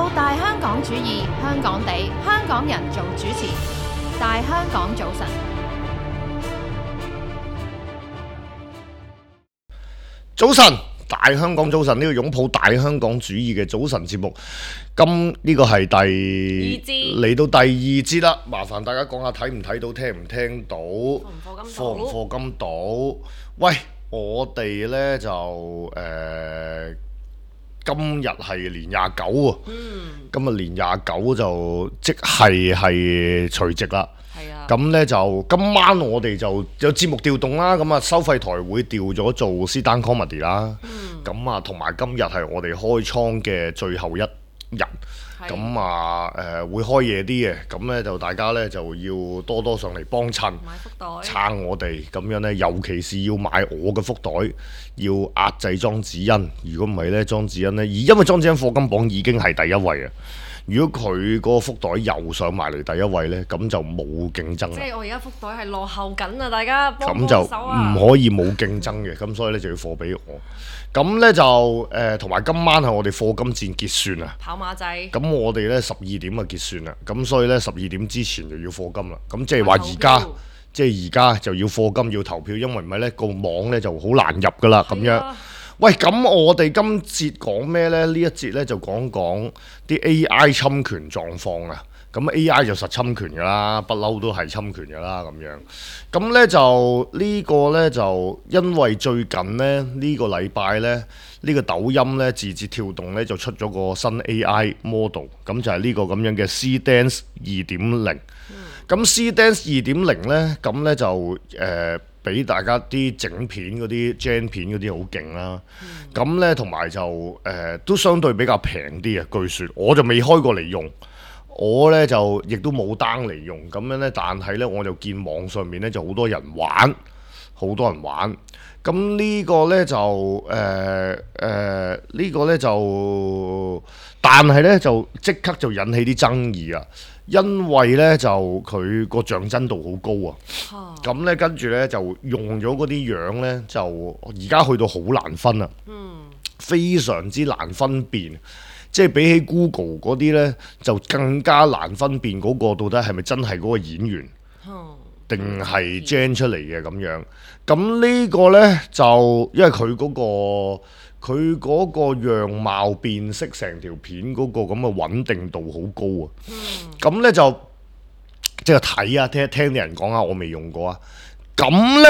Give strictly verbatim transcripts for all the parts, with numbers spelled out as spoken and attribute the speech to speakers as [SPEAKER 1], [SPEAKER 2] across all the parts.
[SPEAKER 1] 到大香港主義，香港地，香港人做主持。大香港早晨，
[SPEAKER 2] 早晨，大香港早晨，呢、這個擁抱大香港主義嘅早晨節目，今呢、這個係第嚟到第二節啦。麻煩大家講下睇唔睇到，聽唔聽到，課唔課金到？喂，我哋呢就誒、呃，今日係年廿九喎，
[SPEAKER 3] 嗯、
[SPEAKER 2] 今日年廿九就即係係除夕啦。咁呢就今晚我哋就有節目調動啦，咁啊收費台會調咗做 Sit Down Comedy 啦，咁啊同埋今日係我哋開倉嘅最後一日，咁啊誒會開夜啲嘅，咁呢就大家呢就要多多上嚟幫襯，撐我哋，咁樣呢，尤其是要買我嘅福袋，要壓制莊子欣，如果唔係呢，莊子欣呢，而因為莊子欣課金榜已經係第一位啊。如果佢嗰個福袋又上埋嚟第一位呢，咁就冇競爭啦。
[SPEAKER 3] 即係我而家福袋係落後緊啊！大家幫幫手啊！
[SPEAKER 2] 咁就唔可以冇競爭嘅，咁所以呢就要貨俾我。咁呢就誒，同、呃、埋今晚係我哋課金戰結算啊！
[SPEAKER 3] 跑馬仔。咁
[SPEAKER 2] 我哋呢十二點啊結算啦，咁所以呢十二點之前就要課金啦。咁即係話而家，即係而家就要課金要投票，因為唔係呢個網呢就好難入噶啦咁樣。喂，咁我哋今節講咩呢？呢一節呢就講講啲 A I 侵權狀況啊。咁 A I 就實侵權㗎啦，不嬲都係侵權㗎啦咁樣。咁呢就呢、呢個呢，就因為最近呢，呢、呢個禮拜呢，呢、呢個抖音呢，字節跳動呢就出咗個新 A I model，咁就係呢個咁樣嘅 C-Dance 二點零。咁 C-Dance 二點零呢，咁呢就誒。呃俾大家啲整片嗰啲 Gen 片嗰啲好勁啦，咁、嗯、呢，同埋就誒、呃、都相對比較平啲啊，據說我就未開過嚟用，我呢就亦都冇 down 嚟用，咁樣呢，但係呢，我就見網上面呢就好多人玩，好多人玩，咁呢個呢，就誒誒呢個呢，就，但係呢，就即刻就引起啲爭議啊！因為咧就佢個像真度好高啊，咁咧、啊、跟住咧就用咗嗰啲樣咧就而家去到好難分啊，嗯、非常之難分辨，即係比起 Google 嗰啲咧就更加難分辨嗰個到底係咪真係嗰個演員，定係 gen 出嚟嘅咁樣。咁呢個咧就因為佢嗰個。佢嗰個樣貌辨識成條片嗰個咁嘅穩定度好高啊！咁、嗯、呢就即係睇啊，聽聽啲人講下，我未用過啊。咁呢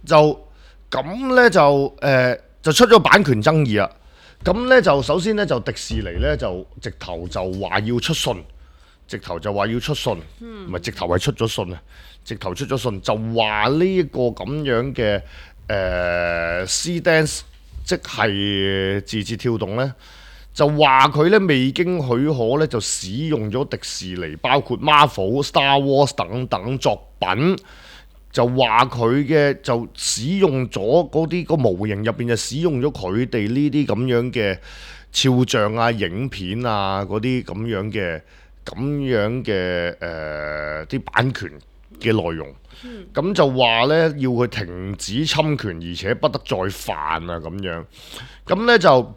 [SPEAKER 2] 就咁呢就誒、呃、就出咗版權爭議啊！咁呢就首先呢，就迪士尼呢，就直頭就話要出信，直頭就話要出信，唔係、嗯、直頭係出咗信啊！直頭出咗信就話呢一個咁樣嘅誒 C-Dance。即係字節跳動呢，就話佢呢未經許可呢，就使用咗迪士尼包括 Marvel、Star Wars 等等作品，就話佢嘅就使用咗嗰啲個模型入邊就使用咗佢哋呢啲咁樣嘅肖像啊、影片啊嗰啲咁樣嘅咁樣嘅誒啲版權嘅內容。咁、嗯、就話呢，要佢停止侵權，而且不得再犯啊咁樣。咁呢，就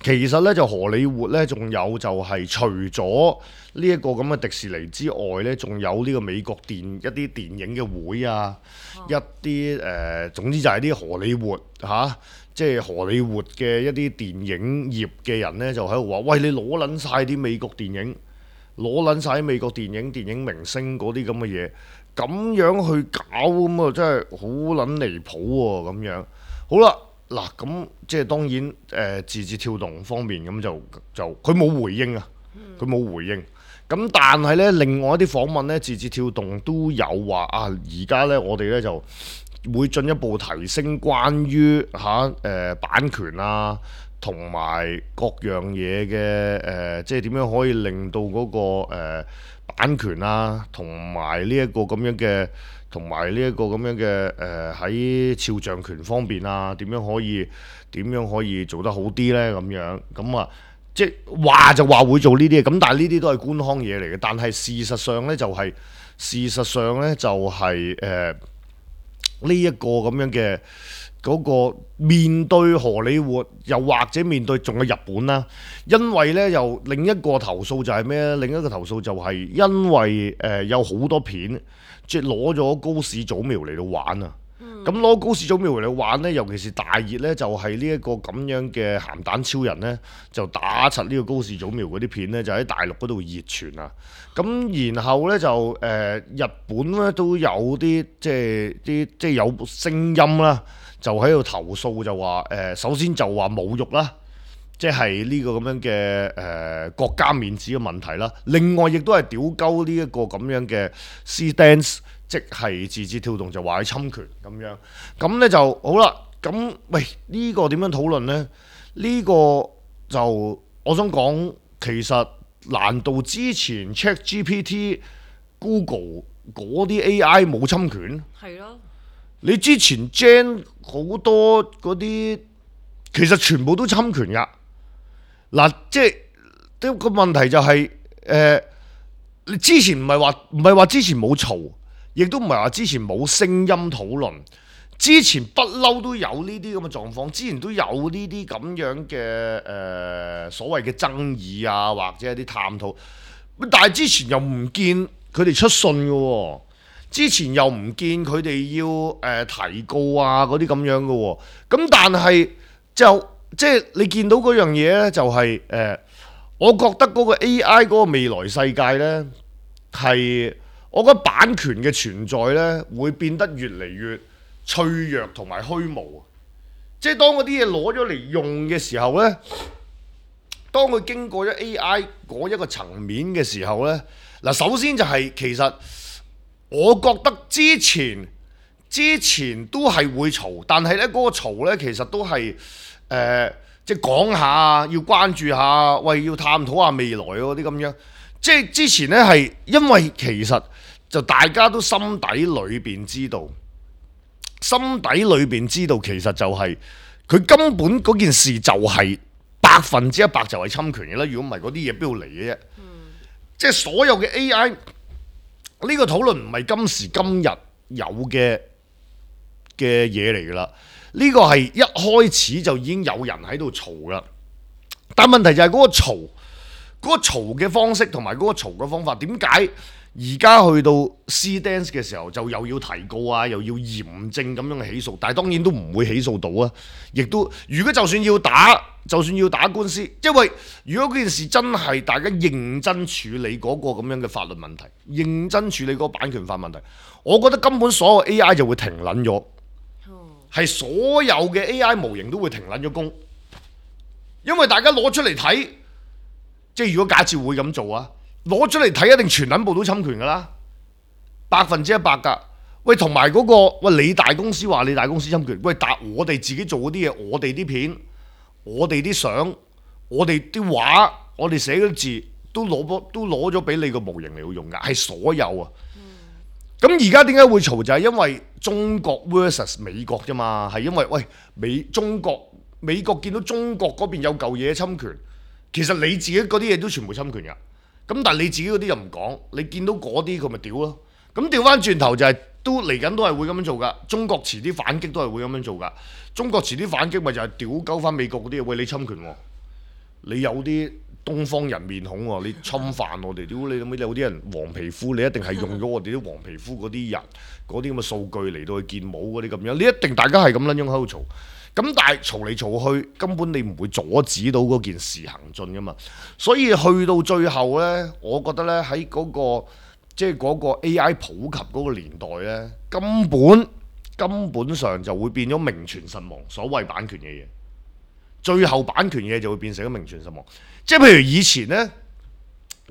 [SPEAKER 2] 其實呢，就荷里活呢，仲有就係除咗呢一個咁嘅迪士尼之外呢，仲有呢個美國電一啲電影嘅會啊，哦、一啲誒、呃、總之就係啲荷里活嚇，即、啊、係、就是、荷里活嘅一啲電影業嘅人呢，就喺度話：喂，你攞撚晒啲美國電影，攞撚晒啲美國電影電影明星嗰啲咁嘅嘢。咁樣去搞咁啊，真係好撚離譜喎！咁樣好啦，嗱咁即係當然誒、呃、字節跳動方面咁就就佢冇回應啊，佢冇回應。咁但係呢，另外一啲訪問呢，字節跳動都有話啊，而家呢，我哋呢就會進一步提升關於嚇誒、啊呃、版權啊，同埋各樣嘢嘅誒，即係點樣可以令到嗰、嗰個、呃版權啊，同埋呢一個咁樣嘅，同埋呢一個咁樣嘅誒喺肖像權方面啊，點樣可以點樣可以做得好啲呢？咁樣咁啊，即係話就話會做呢啲嘢，咁但係呢啲都係官腔嘢嚟嘅。但係事實上呢，就係、係、事實上呢，就係誒呢一個咁樣嘅嗰個面對荷里活，又或者面對仲有日本啦，因為呢，又另一個投訴就係咩咧？另一個投訴就係因為誒、呃、有好多片即係攞咗高市早苗嚟到玩啊！咁攞、嗯、高市早苗嚟玩呢，尤其是大熱呢，就係呢一個咁樣嘅鹹蛋超人呢，就打柒呢個高市早苗嗰啲片呢，就喺大陸嗰度熱傳啊！咁然後呢，就誒、呃、日本呢都有啲即係啲即係有聲音啦。就喺度投訴就話誒、呃，首先就話侮辱啦，即係呢個咁樣嘅誒、呃、國家面子嘅問題啦。另外亦都係屌鳩呢一個咁樣嘅 C-Dance， 即係字節跳動就話佢侵權咁樣。咁呢就好啦。咁喂呢、呢個點樣討論呢？呢、呢個就我想講，其實難道之前 ChatGPT、Google 嗰啲 A I 冇侵權？
[SPEAKER 3] 係咯。
[SPEAKER 2] 你之前 Gen 好多嗰啲，其實全部都侵權㗎。嗱，即係啲個問題就係、是，誒、呃，你之前唔係話唔係話之前冇嘈，亦都唔係話之前冇聲音討論，之前不嬲都有呢啲咁嘅狀況，之前都有呢啲咁樣嘅誒、呃、所謂嘅爭議啊，或者一啲探討，但係之前又唔見佢哋出信嘅喎。之前又唔見佢哋要誒、呃、提告啊嗰啲咁樣嘅喎、哦，咁但係就即係你見到嗰樣嘢咧，就係、是、誒、呃，我覺得嗰個 A I 嗰個未來世界咧，係我覺得版權嘅存在咧，會變得越嚟越脆弱同埋虛無。即係當嗰啲嘢攞咗嚟用嘅時候咧，當佢經過咗 A I 嗰一個層面嘅時候咧，嗱首先就係、是、其實。我覺得之前之前都係會嘈，但係咧嗰個嘈咧其實都係誒、呃，即係講下，要關注下，喂，要探討下未來嗰啲咁樣。即係之前咧係因為其實就大家都心底裏邊知道，心底裏邊知道其實就係、是、佢根本嗰件事就係百分之一百就係侵權嘅啦。如果唔係嗰啲嘢邊度嚟嘅啫？嗯、即係所有嘅 A I。呢個討論唔係今時今日有嘅嘅嘢嚟㗎啦，呢個係一開始就已經有人喺度嘈啦。但問題就係嗰個嘈，嗰個嘈嘅方式同埋嗰個嘈嘅方法，點解而家去到 C-Dance 嘅時候就又要提告啊，又要嚴正咁樣嘅起訴？但係當然都唔會起訴到啊，亦都如果就算要打，就算要打官司，因為如果嗰件事真係大家認真處理嗰個咁樣嘅法律問題，認真處理嗰個版權法問題，我覺得根本所有 A I 就會停撚咗，係所有嘅 A I 模型都會停撚咗工，因為大家攞出嚟睇，即係如果假設會咁做啊，攞出嚟睇一定全撚部都侵權㗎啦，百分之一百㗎。喂，同埋嗰個喂，你大公司話你大公司侵權，喂，但我哋自己做嗰啲嘢，我哋啲片。我哋啲相，我哋啲畫，我哋寫嗰啲字都攞咗，都攞咗俾你個模型嚟用㗎，係所有啊。咁而家點解會嘈？就係因為中國 versus 美國啫嘛，係因為喂美中國美國見到中國嗰邊有嚿嘢侵權，其實你自己嗰啲嘢都全部侵權㗎。咁但係你自己嗰啲又唔講，你見到嗰啲佢咪屌咯。咁調翻轉頭就係、是、都嚟緊都係會咁樣做㗎。中國遲啲反擊都係會咁樣做㗎。中國遲啲反擊咪就係屌鳩翻美國嗰啲嘢，喂你侵權喎，你有啲東方人面孔喎，你侵犯我哋，屌你諗咩？有啲人黃皮膚，你一定係用咗我哋啲黃皮膚嗰啲人嗰啲咁嘅數據嚟到去建模嗰啲咁樣，你一定大家係咁撚樣喺度嘈。咁但係嘈嚟嘈去，根本你唔會阻止到嗰件事行進㗎嘛。所以去到最後呢，我覺得呢喺嗰個即係嗰個 A I 普及嗰個年代呢，根本根本上就會變咗名存實亡。所謂版權嘅嘢，最後版權嘢就會變成咗名存實亡。即係譬如以前呢，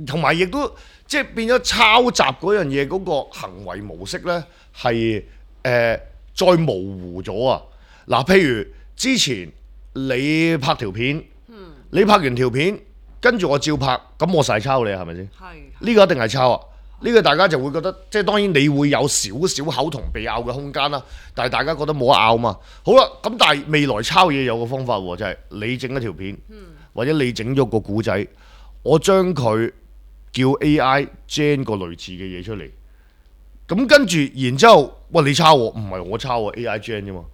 [SPEAKER 2] 同埋亦都即係變咗抄襲嗰樣嘢嗰個行為模式呢，係誒、呃、再模糊咗啊！嗱，譬如之前你拍條片，嗯、你拍完條片，跟住我照拍，咁我實係抄你係咪先？係。呢個一定係抄啊！呢、呢個大家就會覺得，即係當然你會有少少口同鼻拗嘅空間啦，但係大家覺得冇得拗嘛。好啦，咁但係未來抄嘢有個方法喎，就係、係、你整一條片，嗯、或者你整咗個故仔，我將佢叫 A I gen 個類似嘅嘢出嚟，咁跟住然之後，喂你抄我，唔係我抄喎 A I gen 啫嘛。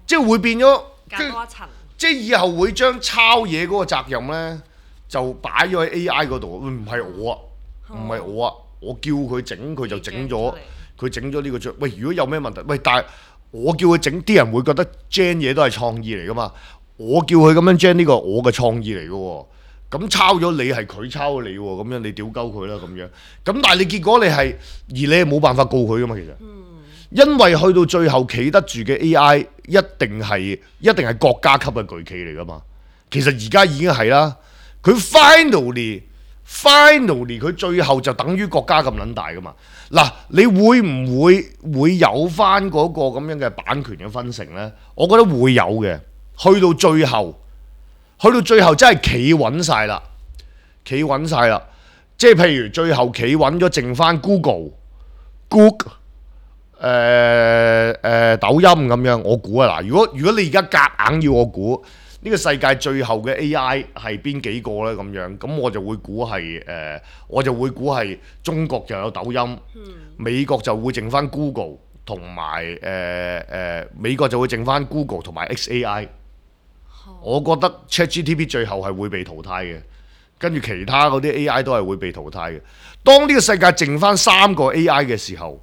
[SPEAKER 2] 即係會變咗，
[SPEAKER 3] 隔多一層。
[SPEAKER 2] 即係以後會將抄嘢嗰個責任咧，就擺咗喺 A I 嗰度。唔係我啊，唔係我啊，我叫佢整佢就整咗，佢整咗呢個章。喂，如果有咩問題，喂，但係我叫佢整，啲人會覺得 gen 嘢都係創意嚟噶嘛。我叫佢咁樣 gen 呢個我嘅創意嚟嘅喎。咁抄咗你係佢抄你喎，咁樣你屌鳩佢啦咁樣。咁但係你結果你係，而你係冇辦法告佢噶嘛其實。嗯、因為去到最後企得住嘅 A I 一定係一定係國家級嘅巨企嚟噶嘛。其實而家已經係啦，佢 finally finally 佢最後就等於國家咁撚大噶嘛。嗱，你會唔會會有翻嗰個咁樣嘅版權嘅分成呢？我覺得會有嘅。去到最後。去到最後真係企穩晒啦，企穩晒啦，即係譬如最後企穩咗，剩翻 Google、Google、誒誒抖音咁樣，我估啊嗱，如果如果你而家夾硬要我估呢個世界最後嘅 A I 係邊幾個呢？咁樣，咁我就會估係誒，我就會估係中國就有抖音，美國就會剩翻 Google 同埋誒誒美國就會剩翻 Google 同埋 X A I。我覺得 ChatGPT 最後係會被淘汰嘅，跟住其他嗰啲 A I 都係會被淘汰嘅。當呢個世界剩翻三個 A I 嘅時候，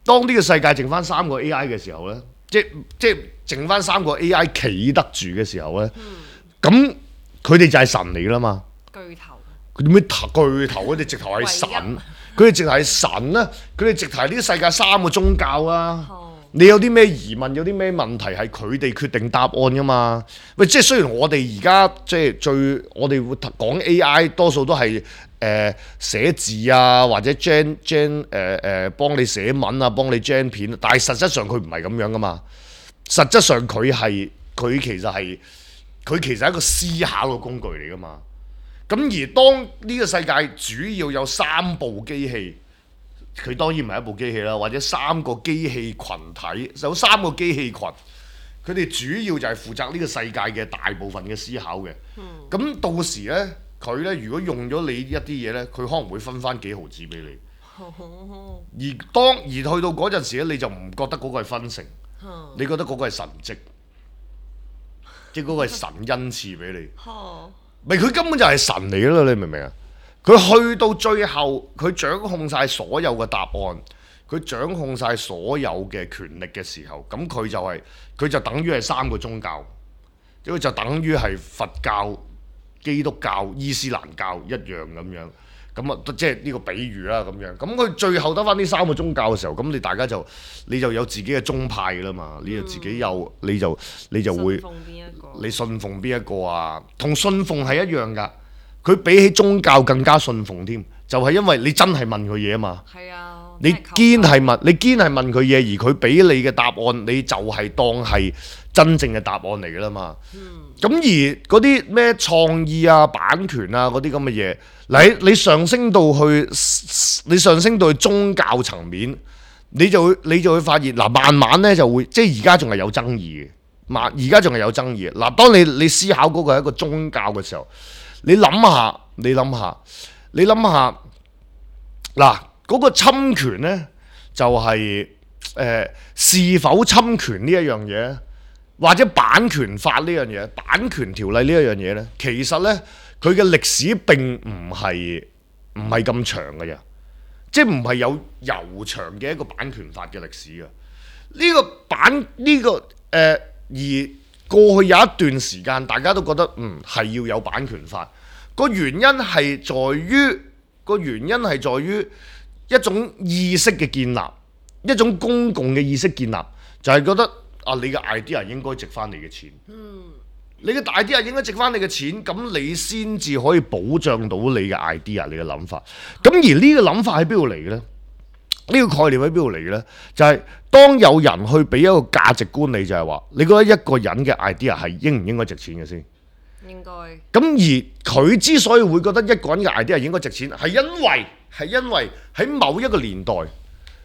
[SPEAKER 2] 當呢個世界剩翻三個 A I 嘅時候呢，即即剩翻三個 A I 企得住嘅時候呢，咁佢哋就係神嚟啦嘛。
[SPEAKER 3] 巨頭。
[SPEAKER 2] 佢點咩巨頭？佢哋直頭係神，佢哋直頭係神啦。佢哋直頭係呢個世界三個宗教啊。哦、你有啲咩疑問，有啲咩問題係佢哋決定答案噶嘛？喂，即係雖然我哋而家即係最我哋會講 A I 多數都係誒寫字啊，或者 gen gen 誒誒幫你寫文啊，幫你 gen 片，但係實質上佢唔係咁樣噶嘛。實質上佢係佢其實係佢其實係一個思考嘅工具嚟噶嘛。咁而當呢個世界主要有三部機器，佢當然唔係一部機器啦，或者三個機器群體，有三個機器群，佢哋主要就係負責呢個世界嘅大部分嘅思考嘅。咁、嗯、到時呢，佢呢如果用咗你一啲嘢呢，佢可能會分翻幾毫子俾你。而當而去到嗰陣時咧，你就唔覺得嗰個係分成，你覺得嗰個係神蹟，即係嗰個係神恩賜俾你。咪佢根本就係神嚟咯，你明唔明啊？佢去到最後，佢掌控晒所有嘅答案，佢掌控晒所有嘅權力嘅時候，咁佢就係、是、佢就等於係三個宗教，即係就等於係佛教、基督教、伊斯蘭教一樣咁樣。咁啊，即係呢個比喻啦，咁樣。咁佢最後得翻呢三個宗教嘅時候，咁你大家就你就有自己嘅宗派㗎啦嘛，嗯、你就自己有，你就你就會，你信奉邊一個啊？同信奉係一樣㗎，佢比起宗教更加信奉添，就係、是、因為你真係問佢嘢啊嘛。係啊，你堅係問，你堅係問佢嘢，而佢俾你嘅答案，你就係當係真正嘅答案嚟㗎啦嘛。咁、嗯、而嗰啲咩創意啊、版權啊嗰啲咁嘅嘢。你你上升到去，你上升到去宗教層面，你就會你就會發現嗱，慢慢咧就會，即係而家仲係有爭議嘅，慢而家仲係有爭議嘅。嗱，當你你思考嗰個係一個宗教嘅時候，你諗下，你諗下，你諗下，嗱嗰個侵權咧就係、是、誒、呃、是否侵權呢一樣嘢，或者版權法呢樣嘢，版權條例呢一樣嘢咧，其實咧。佢嘅歷史並唔係唔係咁長嘅啫，即係唔係有悠長嘅一個版權法嘅歷史嘅。呢、這個版呢、這個誒、呃，而過去有一段時間，大家都覺得嗯係要有版權法。個原因係在於個原因係在於一種意識嘅建立，一種公共嘅意識建立，就係、是、覺得啊，你嘅 idea 應該值翻你嘅錢。嗯。你嘅 idea 應該值翻你嘅錢，咁你先至可以保障到你嘅 idea， 你嘅諗法。咁而呢個諗法喺邊度嚟嘅咧？呢、呢個概念喺邊度嚟嘅咧？就係、是、當有人去俾一個價值觀你，就係話，你覺得一個人嘅 idea 係應唔應該值錢嘅先？應該。咁而佢之所以會覺得一個人嘅 idea 應該值錢，係因為係因為喺某一個年代。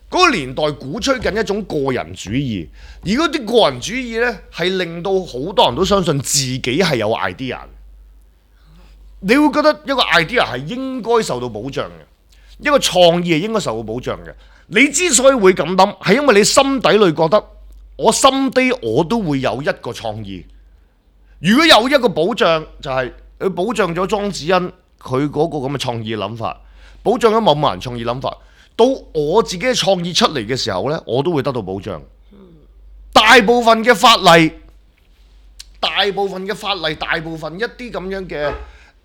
[SPEAKER 2] 嗰個年代鼓吹緊一種個人主義，而嗰啲個人主義呢，係令到好多人都相信自己係有 idea。你會覺得一個 idea 係應該受到保障嘅，一個創意係應該受到保障嘅。你之所以會咁諗，係因為你心底裏覺得我心底我都會有一個創意。如果有一個保障，就係、是、佢保障咗莊子欣佢嗰個咁嘅創意諗法，保障咗某某人創意諗法，到我自己嘅創意出嚟嘅時候呢，我都會得到保障。大部分嘅法例，大部分嘅法例，大部分一啲咁樣嘅誒、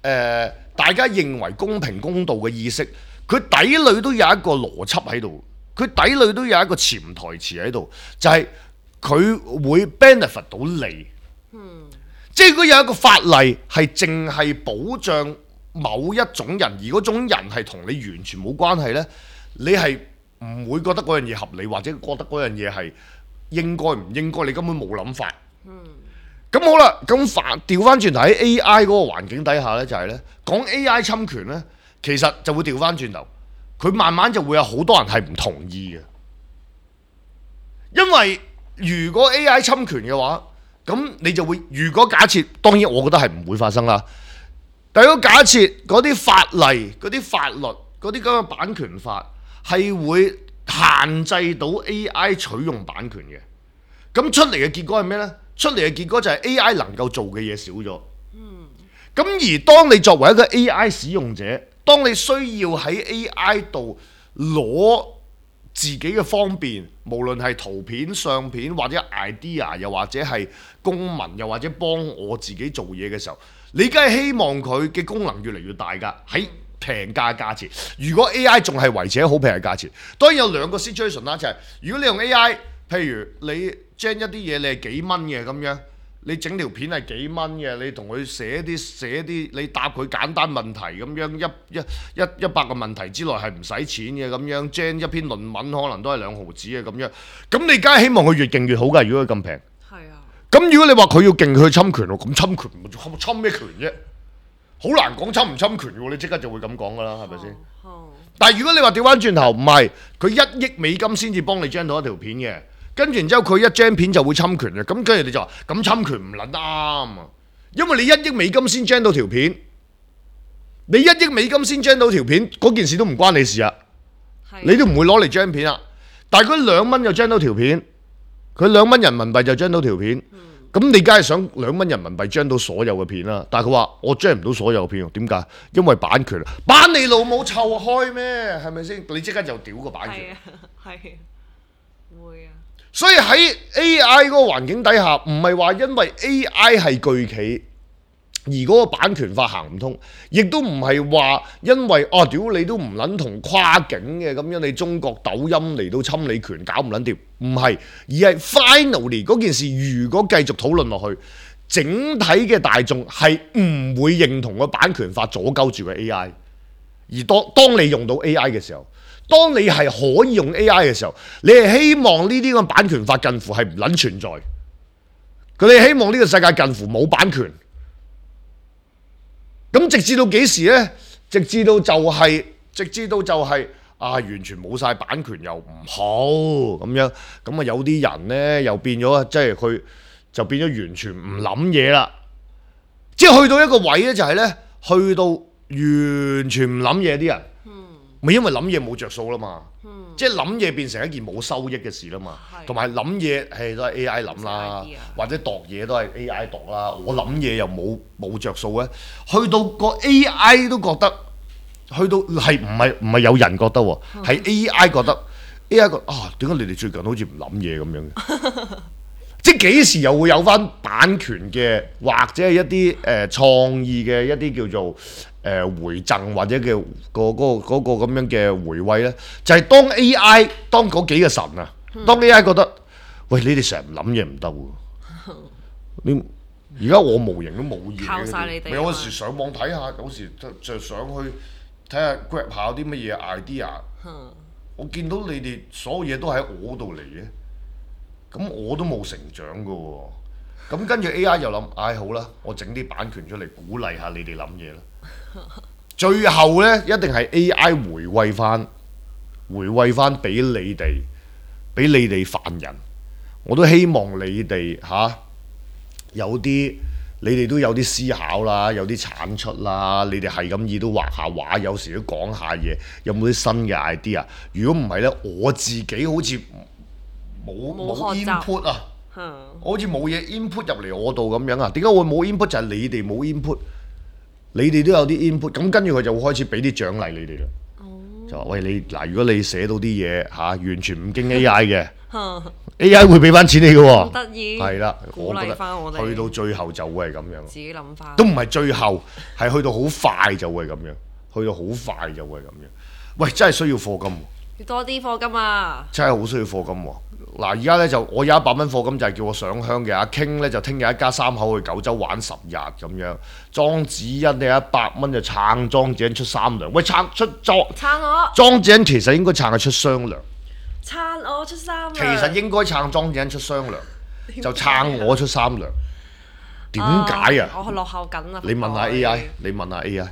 [SPEAKER 2] 呃，大家認為公平公道嘅意識，佢底裏都有一個邏輯喺度，佢底裏都有一個潛台詞喺度，就係、是、佢會 benefit 到你。嗯、即係如果有一個法例係淨係保障某一種人，而嗰種人係同你完全冇關係呢，你係唔會覺得嗰樣嘢合理，或者覺得嗰樣嘢係應該唔應該，你根本冇諗法。咁、嗯、好啦，咁反調翻轉頭喺 A I 嗰個環境底下呢，就係、是、呢講 A I 侵權呢，其實就會調翻轉頭，佢慢慢就會有好多人係唔同意嘅。因為如果 A I 侵權嘅話，咁你就會，如果假設，當然我覺得係唔會發生啦。但如果假設嗰啲法例、嗰啲法律、嗰啲咁嘅版權法係會限制到 A I 取用版權嘅，咁出嚟嘅結果係咩呢？出嚟嘅結果就係 A I 能夠做嘅嘢少咗。嗯。咁而當你作為一個 A I 使用者，當你需要喺 A I 度攞自己嘅方便，無論係圖片、相片或者 idea， 又或者係公文，又或者幫我自己做嘢嘅時候，你梗係希望佢嘅功能越嚟越大㗎，喺平價價錢。如果 A I 仲係維持喺好平嘅價錢，當然有兩個 situation 啦，就係、是、如果你用 A I，譬如你 gen 一啲嘢你係幾蚊嘅咁樣，你整條片係幾蚊嘅，你同佢寫啲寫啲，你答佢簡單問題咁樣，一一一一百個問題之內係唔使錢嘅咁樣 gen 一篇論文可能都係兩毫子嘅咁樣，咁你梗係希望佢越勁越好㗎。如果佢咁平，係啊。咁如果你話佢要勁佢侵權喎，咁侵權侵咩權啫？好難講侵唔侵權喎，你即刻就會咁講㗎啦，係咪先？但係如果你話調翻轉頭，唔係佢一億美金先至幫你 gen 到一條片嘅。跟住然之後佢一張片就會侵權嘅，咁跟住你就話咁侵權唔撚啱啊！因為你一億美金先 gen 到條片，你一億美金先 gen 到條片，嗰件事都唔關你事啊！的你都唔會攞嚟 gen 片啊！但係佢兩蚊就 gen 到條片，佢兩蚊人民幣就 gen 到條片，咁、嗯、你梗係想兩蚊人民幣 gen 到所有嘅片啦。但係佢話我 gen 唔到所有嘅片，點解？因為版權，版你老母臭開咩？係咪先？你即刻就屌個版權，係會啊！所以喺 A I 嗰個環境底下，唔係話因為 A I 係巨企而嗰個版權法行唔通，亦都唔係話因為哦屌你都唔撚同跨境嘅咁樣，你中國抖音嚟到侵你權搞唔撚掂，唔係，而係 finally 嗰件事如果繼續討論落去，整體嘅大眾係唔會認同個版權法阻鳩住個 A I， 而當當你用到 A I 嘅時候。當你係可以用 A I 嘅時候，你係希望呢啲咁版權法近乎係唔撚存在，佢哋希望呢個世界近乎冇版權。咁直至到幾時呢？直至到就係、是，直至到就係、是、啊，完全冇晒版權又唔好咁樣，咁啊有啲人呢，又變咗，即係佢就變咗完全唔諗嘢啦。即係去到一個位呢，就係呢，去到完全唔諗嘢啲人。咪因為諗嘢冇着數啦嘛，嗯、即係諗嘢變成一件冇收益嘅事啦嘛，同埋諗嘢係都係 A I 諗啦，或者度嘢都係 A I 度啦。我諗嘢又冇冇著數咧，去到個 A I 都覺得，去到係唔係唔係有人覺得喎，係、嗯、A I 覺得 A I 覺得啊，點解你哋最近好似唔諗嘢咁樣嘅？即係幾時又會有翻版權嘅，或者係一啲誒、呃、創意嘅一啲叫做誒、呃、回贈或者叫、嗰個嗰、嗰個咁、嗰個、樣嘅回饋咧？就係、是、當 A I 當嗰幾個神啊，嗯、當 A I 覺得喂，你哋成日唔諗嘢唔得喎，你而家我模型都冇嘢，靠晒你哋。咪有時上網睇下，有時就就上去睇下 grab 下啲乜嘢 idea，嗯、我見到你哋所有嘢都喺我度嚟嘅。咁我都冇成長㗎喎，咁跟住 A I 又諗，唉、哎、好啦，我整啲版權出嚟鼓勵下你哋諗嘢啦。最後呢，一定係 A I 回饋翻，回饋翻俾你哋，俾你哋犯人。我都希望你哋嚇、啊、有啲，你哋都有啲思考啦，有啲產出啦。你哋係咁意都畫下畫，有時都講下嘢，有冇啲新嘅 idea？如果唔係呢，我自己好似冇
[SPEAKER 3] 冇
[SPEAKER 2] 冇
[SPEAKER 3] 學習
[SPEAKER 2] input 啊，
[SPEAKER 3] 嗯
[SPEAKER 2] 我好似冇嘢 input 入嚟我度咁樣啊？點解會冇 input？就係你哋冇 input，你哋都有啲 input，咁跟住佢就會開始俾啲獎勵你哋啦。就話喂你嗱，如果你寫到啲嘢嚇完全唔經 A I 嘅，A I 會俾翻錢你嘅喎。
[SPEAKER 3] 好得意。
[SPEAKER 2] 係啦，
[SPEAKER 3] 鼓
[SPEAKER 2] 我覺
[SPEAKER 3] 勵翻我哋。
[SPEAKER 2] 得去到最後就會係咁樣。
[SPEAKER 3] 自己諗翻。
[SPEAKER 2] 都唔係最後，係去到好快就會咁樣，去到好快就會咁樣。喂，真係需要課金喎！
[SPEAKER 3] 要多啲課金啊！
[SPEAKER 2] 真係好需要課金喎！嗱，而家咧就我有一百蚊課金就係叫我上香嘅，阿 King 咧就聽日一家三口去九州玩十日咁樣，莊子欣呢一百蚊就撐莊子欣出三糧，喂撐出莊
[SPEAKER 3] 撐我，
[SPEAKER 2] 莊子欣其實應該撐佢出雙糧，
[SPEAKER 3] 撐我出三糧。
[SPEAKER 2] 其實應該撐莊子欣出雙糧，就撐我出三糧。點解啊？
[SPEAKER 3] 我落後緊啊！
[SPEAKER 2] 你問下 A I， 你問下 A I，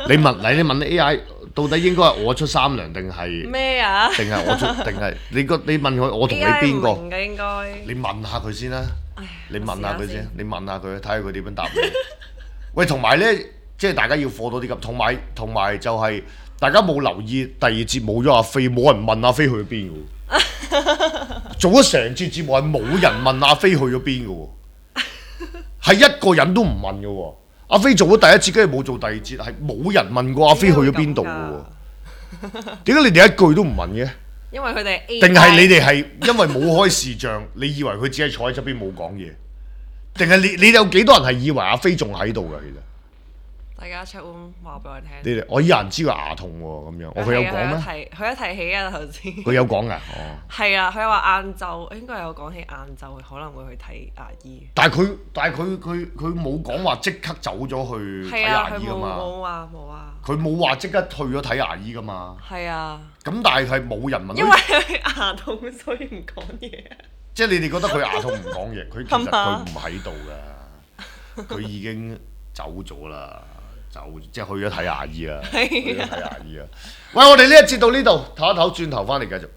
[SPEAKER 2] 你問你你問 A I， 到底應該係我出三糧定係
[SPEAKER 3] 咩啊？
[SPEAKER 2] 定係我出定係你個？你問佢我同你邊個？
[SPEAKER 3] A I 唔明嘅應該。
[SPEAKER 2] 你問下佢先啦，你問下佢先，你問下佢睇下佢點樣答你。喂，同埋咧，即係大家要課多啲咁，同埋同埋就係大家冇留意第二節冇咗阿飛，冇人問阿飛去咗邊嘅喎。做咗成節節目係冇人問阿飛去咗邊嘅喎。係一個人都唔問嘅喎，阿飛做咗第一節，跟住冇做第二節，係冇人問過阿飛去咗邊度嘅喎。點解你哋一句都唔問嘅？
[SPEAKER 3] 因為佢哋 A I
[SPEAKER 2] 定係你哋係因為冇開視像，你以為佢只係坐喺側邊冇講嘢？定係你你有幾多人係以為阿飛仲喺度㗎？其實
[SPEAKER 3] 大家 check room 話俾我聽。
[SPEAKER 2] 你哋我有人知佢牙痛喎，咁樣我佢有講咩？
[SPEAKER 3] 佢一提起啊頭先。
[SPEAKER 2] 佢有講㗎，哦。
[SPEAKER 3] 係啊，佢話晏晝應該有講起晏晝可能會去睇牙醫。
[SPEAKER 2] 但係佢但係佢佢佢冇講話即刻走咗去睇牙醫㗎嘛？
[SPEAKER 3] 冇話冇話。
[SPEAKER 2] 佢冇話即刻去咗睇牙醫㗎嘛？
[SPEAKER 3] 係啊。
[SPEAKER 2] 咁但係係冇人問。
[SPEAKER 3] 因為佢牙痛，所以唔講嘢。
[SPEAKER 2] 即係你哋覺得佢牙痛唔講嘢，佢其實佢唔喺度㗎，佢已經走咗啦，走即係去咗睇牙醫啦，去咗睇牙醫啦。喂，我哋呢一節到呢度，唞一唞，轉頭翻嚟繼續。